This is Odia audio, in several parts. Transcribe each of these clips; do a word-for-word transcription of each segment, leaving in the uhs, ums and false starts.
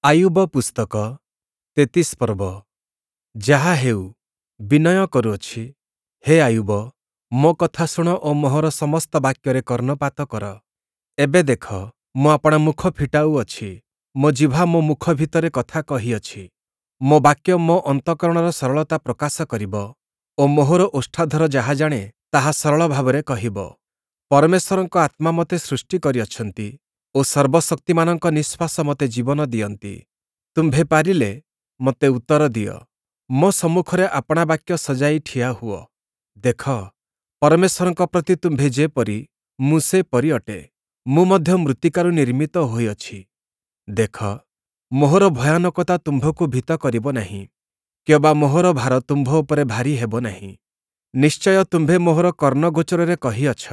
ଆୟୁବ ପୁସ୍ତକ ତେତିଶ ପର୍ବ। ଯାହା ହେଉ, ବିନୟ କରୁଅଛି, ହେ ଆୟୁବ, ମୋ କଥା ଶୁଣ ଓ ମୋହର ସମସ୍ତ ବାକ୍ୟରେ କର୍ଣ୍ଣପାତ କର। ଏବେ ଦେଖ, ମୁଁ ଆପଣା ମୁଖ ଫିଟାଉଅଛି, ମୋ ଜିଭା ମୋ ମୁଖ ଭିତରେ କଥା କହିଅଛି। ମୋ ବାକ୍ୟ ମୋ ଅନ୍ତଃକରଣର ସରଳତା ପ୍ରକାଶ କରିବ ଓ ମୋହର ଓଷ୍ଠାଧର ଯାହା ଜାଣେ, ତାହା ସରଳ ଭାବରେ କହିବ। ପରମେଶ୍ୱରଙ୍କ ଆତ୍ମା ମୋତେ ସୃଷ୍ଟି କରିଅଛନ୍ତି ଓ ସର୍ବଶକ୍ତିମାନଙ୍କ ନିଃଶ୍ୱାସ ମୋତେ ଜୀବନ ଦିଅନ୍ତି। ତୁମ୍ଭେ ପାରିଲେ ମୋତେ ଉତ୍ତର ଦିଅ, ମୋ ସମ୍ମୁଖରେ ଆପଣା ବାକ୍ୟ ସଜାଇ ଠିଆ ହୁଅ। ଦେଖ, ପରମେଶ୍ୱରଙ୍କ ପ୍ରତି ତୁମ୍ଭେ ଯେପରି, ମୁଁ ସେପରି ଅଟେ, ମୁଁ ମଧ୍ୟ ମୃତ୍ତିକାରୁ ନିର୍ମିତ ହୋଇଅଛି। ଦେଖ, ମୋହର ଭୟାନକତା ତୁମ୍ଭକୁ ଭୀତ କରିବ ନାହିଁ, କିଅବା ମୋହର ଭାର ତୁମ୍ଭ ଉପରେ ଭାରୀ ହେବ ନାହିଁ। ନିଶ୍ଚୟ ତୁମ୍ଭେ ମୋହର କର୍ଣ୍ଣଗୋଚରରେ କହିଅଛ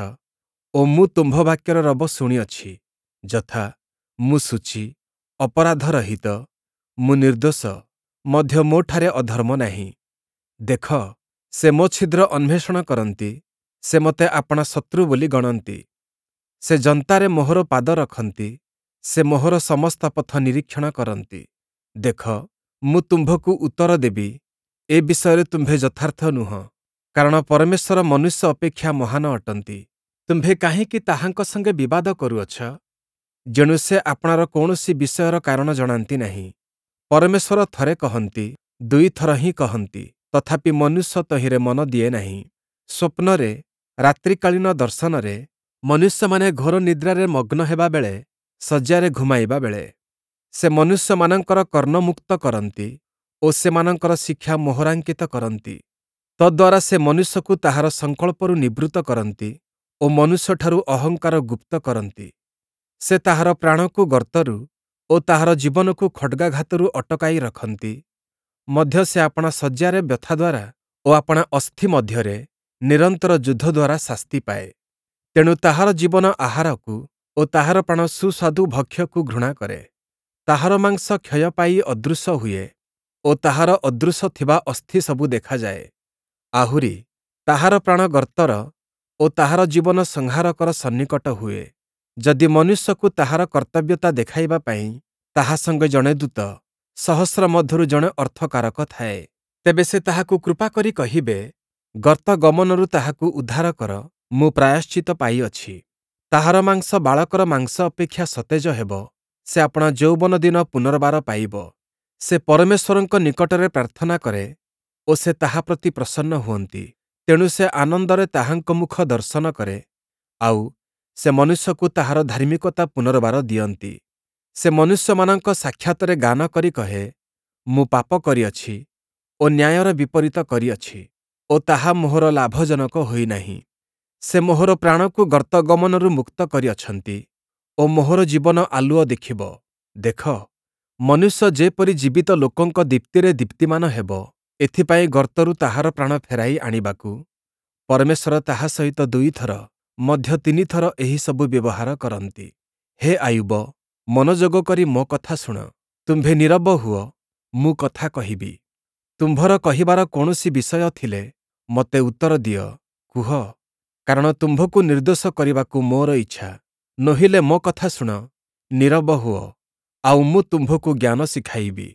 ଓ ମୁଁ ତୁମ୍ଭ ବାକ୍ୟର ରବ ଶୁଣିଅଛି, ଯଥା, ମୁଁ ଶୁଚି, ଅପରାଧରହିତ, ମୁଁ ନିର୍ଦ୍ଦୋଷ, ମଧ୍ୟ ମୋଠାରେ ଅଧର୍ମ ନାହିଁ। ଦେଖ, ସେ ମୋ ଛିଦ୍ର ଅନ୍ୱେଷଣ କରନ୍ତି, ସେ ମୋତେ ଆପଣା ଶତ୍ରୁ ବୋଲି ଗଣନ୍ତି। ସେ ଯନ୍ତାରେ ମୋହର ପାଦ ରଖନ୍ତି, ସେ ମୋହର ସମସ୍ତ ପଥ ନିରୀକ୍ଷଣ କରନ୍ତି। ଦେଖ, ମୁଁ ତୁମ୍ଭକୁ ଉତ୍ତର ଦେବି, ଏ ବିଷୟରେ ତୁମ୍ଭେ ଯଥାର୍ଥ ନୁହଁ, କାରଣ ପରମେଶ୍ୱର ମନୁଷ୍ୟ ଅପେକ୍ଷା ମହାନ ଅଟନ୍ତି। ତୁମ୍ଭେ କାହିଁକି ତାହାଙ୍କ ସଙ୍ଗେ ବିବାଦ କରୁଅଛ? ଯେଣୁ ସେ ଆପଣାର କୌଣସି ବିଷୟର କାରଣ ଜଣାନ୍ତି ନାହିଁ। ପରମେଶ୍ୱର ଥରେ କହନ୍ତି, ଦୁଇଥର ହିଁ କହନ୍ତି, ତଥାପି ମନୁଷ୍ୟ ତହିଁରେ ମନ ଦିଏ ନାହିଁ। ସ୍ୱପ୍ନରେ, ରାତ୍ରିକାଳୀନ ଦର୍ଶନରେ, ମନୁଷ୍ୟମାନେ ଘୋର ନିଦ୍ରାରେ ମଗ୍ନ ହେବା ବେଳେ, ଶଯ୍ୟାରେ ଘୁମାଇବା ବେଳେ, ସେ ମନୁଷ୍ୟମାନଙ୍କର କର୍ଣ୍ଣମୁକ୍ତ କରନ୍ତି ଓ ସେମାନଙ୍କର ଶିକ୍ଷା ମୋହରାଙ୍କିତ କରନ୍ତି। ତଦ୍ଦ୍ୱାରା ସେ ମନୁଷ୍ୟକୁ ତାହାର ସଂକଳ୍ପରୁ ନିବୃତ୍ତ କରନ୍ତି ଓ ମନୁଷ୍ୟଠାରୁ ଅହଙ୍କାର ଗୁପ୍ତ କରନ୍ତି। ସେ ତାହାର ପ୍ରାଣକୁ ଗର୍ତ୍ତରୁ ଓ ତାହାର ଜୀବନକୁ ଖଡ଼୍ଗାଘାତରୁ ଅଟକାଇ ରଖନ୍ତି। ମଧ୍ୟ ସେ ଆପଣା ଶଯ୍ୟାରେ ବ୍ୟଥା ଦ୍ୱାରା ଓ ଆପଣା ଅସ୍ଥି ମଧ୍ୟରେ ନିରନ୍ତର ଯୁଦ୍ଧ ଦ୍ୱାରା ଶାସ୍ତି ପାଏ। ତେଣୁ ତାହାର ଜୀବନ ଆହାରକୁ ଓ ତାହାର ପ୍ରାଣ ସୁସ୍ୱାଦୁ ଭକ୍ଷ୍ୟକୁ ଘୃଣା କରେ। ତାହାର ମାଂସ କ୍ଷୟ ପାଇ ଅଦୃଶ୍ୟ ହୁଏ ଓ ତାହାର ଅଦୃଶ୍ୟ ଥିବା ଅସ୍ଥି ସବୁ ଦେଖାଯାଏ। ଆହୁରି, ତାହାର ପ୍ରାଣ ଗର୍ତ୍ତର ଓ ତାହାର ଜୀବନ ସଂହାରକର ସନ୍ନିକଟ ହୁଏ। ଯଦି ମନୁଷ୍ୟକୁ ତାହାର କର୍ତ୍ତବ୍ୟତା ଦେଖାଇବା ପାଇଁ ତାହା ସଙ୍ଗେ ଜଣେ ଦୂତ, ସହସ୍ର ମଧ୍ୟରୁ ଜଣେ ଅର୍ଥକାରକ ଥାଏ, ତେବେ ସେ ତାହାକୁ କୃପା କରି କହିବେ, ଗର୍ତ୍ତ ଗମନରୁ ତାହାକୁ ଉଦ୍ଧାର କର, ମୁଁ ପ୍ରାୟଶ୍ଚିତ୍ତ ପାଇଅଛି। ତାହାର ମାଂସ ବାଳକର ମାଂସ ଅପେକ୍ଷା ସତେଜ ହେବ, ସେ ଆପଣା ଯୌବନ ଦିନ ପୁନର୍ବାର ପାଇବ। ସେ ପରମେଶ୍ୱରଙ୍କ ନିକଟରେ ପ୍ରାର୍ଥନା କରେ ଓ ସେ ତାହା ପ୍ରତି ପ୍ରସନ୍ନ ହୁଅନ୍ତି। ତେଣୁ ସେ ଆନନ୍ଦରେ ତାହାଙ୍କ ମୁଖ ଦର୍ଶନ କରେ, ଆଉ ସେ ମନୁଷ୍ୟକୁ ତାହାର ଧାର୍ମିକତା ପୁନର୍ବାର ଦିଅନ୍ତି। ସେ ମନୁଷ୍ୟମାନଙ୍କ ସାକ୍ଷାତରେ ଗାନ କରି କହେ, ମୁଁ ପାପ କରିଅଛି ଓ ନ୍ୟାୟର ବିପରୀତ କରିଅଛି ଓ ତାହା ମୋହର ଲାଭଜନକ ହୋଇନାହିଁ। ସେ ମୋହର ପ୍ରାଣକୁ ଗର୍ତ୍ତ ଗମନରୁ ମୁକ୍ତ କରିଅଛନ୍ତି ଓ ମୋହର ଜୀବନ ଆଲୁଅ ଦେଖିବ। ଦେଖ, ମନୁଷ୍ୟ ଯେପରି ଜୀବିତ ଲୋକଙ୍କ ଦୀପ୍ତିରେ ଦୀପ୍ତିମାନ ହେବ, ଏଥିପାଇଁ ଗର୍ତ୍ତରୁ ତାହାର ପ୍ରାଣ ଫେରାଇ ଆଣିବାକୁ ପରମେଶ୍ୱର ତାହା ସହିତ ଦୁଇଥର, ମଧ୍ୟ ତିନିଥର ଏହିସବୁ ବ୍ୟବହାର କରନ୍ତି। ହେ ଆୟୁବ, ମନୋଯୋଗ କରି ମୋ କଥା ଶୁଣ, ତୁମ୍ଭେ ନୀରବ ହୁଅ, ମୁଁ କଥା କହିବି। ତୁମ୍ଭର କହିବାର କୌଣସି ବିଷୟ ଥିଲେ ମୋତେ ଉତ୍ତର ଦିଅ, କୁହ, କାରଣ ତୁମ୍ଭକୁ ନିର୍ଦ୍ଦୋଷ କରିବାକୁ ମୋର ଇଚ୍ଛା। ନୋହିଲେ ମୋ କଥା ଶୁଣ, ନୀରବ ହୁଅ, ଆଉ ମୁଁ ତୁମ୍ଭକୁ ଜ୍ଞାନ ଶିଖାଇବି।